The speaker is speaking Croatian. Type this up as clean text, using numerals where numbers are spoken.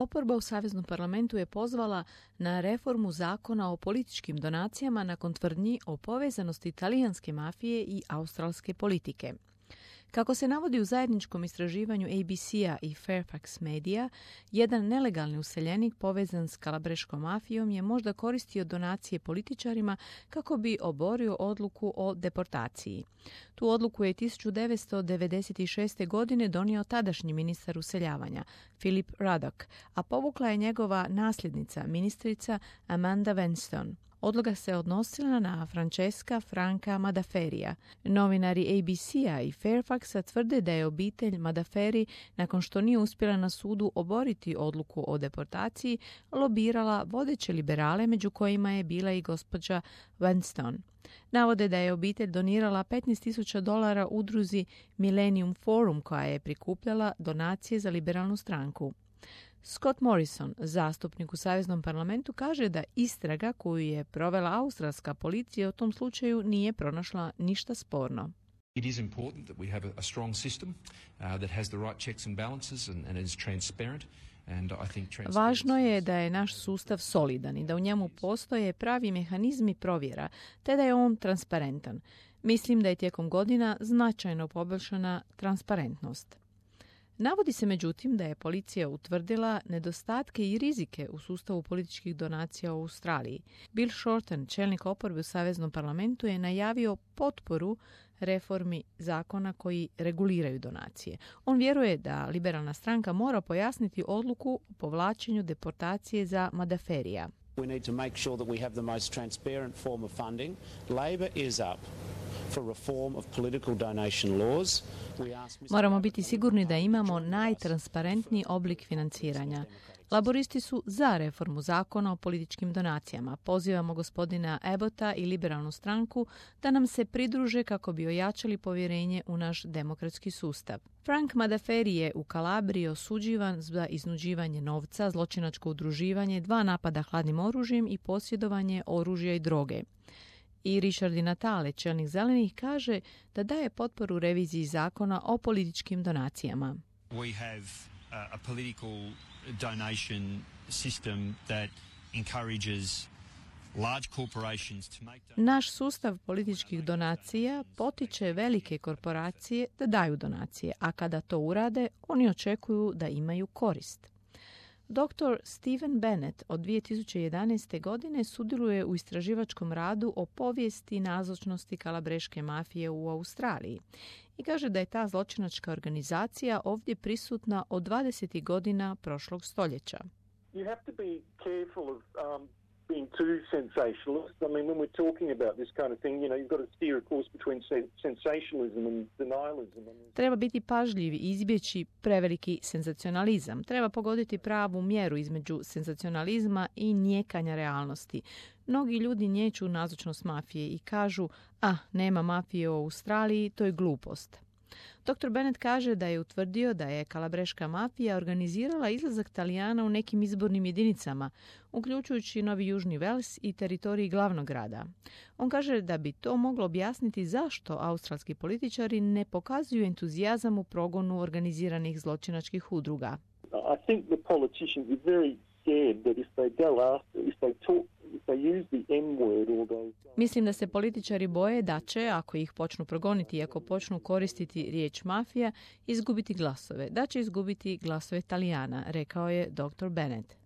Oporba u Saveznom parlamentu je pozvala na reformu zakona o političkim donacijama nakon tvrdnji o povezanosti talijanske mafije i australske politike. Kako se navodi u zajedničkom istraživanju ABC-a i Fairfax Media, jedan nelegalni useljenik povezan s kalabreškom mafijom je možda koristio donacije političarima kako bi oborio odluku o deportaciji. Tu odluku je 1996. godine donio tadašnji ministar useljavanja, Philip Ruddock, a povukla je njegova nasljednica, ministrica Amanda Vanstone. Odluka se odnosila na Francesca Franca Madaferija. Novinari ABC-a i Fairfaxa tvrde da je obitelj Madaferi, nakon što nije uspjela na sudu oboriti odluku o deportaciji, lobirala vodeće liberale, među kojima je bila i gospođa Vanstone. Navode da je obitelj donirala $15,000 udruzi Millennium Forum, koja je prikupljala donacije za liberalnu stranku. Scott Morrison, zastupnik u Saveznom parlamentu, kaže da istraga koju je provela australska policija u tom slučaju nije pronašla ništa sporno. It is important that we have a strong system that has the right checks and balances and is transparent. Važno je da je naš sustav solidan i da u njemu postoje pravi mehanizmi provjera, te da je on transparentan. Mislim da je tijekom godina značajno poboljšana transparentnost. Navodi se međutim da je policija utvrdila nedostatke i rizike u sustavu političkih donacija u Australiji. Bill Shorten, čelnik oporbe u Saveznom parlamentu, je najavio potporu reformi zakona koji reguliraju donacije. On vjeruje da liberalna stranka mora pojasniti odluku o povlačenju deportacije za Madaferija. We need to make sure that we have the most transparent form of funding. Labor is up for reform of political donation laws. Moramo biti sigurni da imamo najtransparentniji oblik financiranja. Laboristi su za reformu zakona o političkim donacijama. Pozivamo gospodina Abbotta i liberalnu stranku da nam se pridruže kako bi ojačali povjerenje u naš demokratski sustav. Frank Madaferi je u Kalabriji osuđivan za iznuđivanje novca, zločinačko udruživanje, 2 napada hladnim oružjem i posjedovanje oružja i droge. I Richard Di Natale, čelnik zelenih, kaže da daje potporu reviziji zakona o političkim donacijama. We have a political donation system that encourages large corporations to make donations. Naš sustav političkih donacija potiče velike korporacije da daju donacije, a kada to urade, oni očekuju da imaju korist. Dr. Stephen Bennett od 2011. godine sudjeluje u istraživačkom radu o povijesti nazočnosti kalabreške mafije u Australiji i kaže da je ta zločinačka organizacija ovdje prisutna od 20. godina prošlog stoljeća. You have to be careful of being too sensationalist. I mean, when we're talking about this kind of thing, you know, you've got to steer a course between sensationalism and denialism. Treba biti pažljiv i izbjeći preveliki senzacionalizam. Treba pogoditi pravu mjeru između senzacionalizma i nijekanja realnosti. Mnogi ljudi niječu nazočnost mafije i kažu, nema mafije u Australiji, to je glupost. Dr. Bennett kaže da je utvrdio da je kalabreška mafija organizirala izlazak Talijana u nekim izbornim jedinicama, uključujući Novi Južni Vels i teritoriji glavnog grada. On kaže da bi to moglo objasniti zašto australski političari ne pokazuju entuzijazam u progonu organiziranih zločinačkih udruga. I think the politicians are very scared that if they go after, if they talk, if they use the M word or those... Mislim da se političari boje da će, ako ih počnu progoniti i ako počnu koristiti riječ mafija, izgubiti glasove. Da će izgubiti glasove Talijana, rekao je dr. Bennett.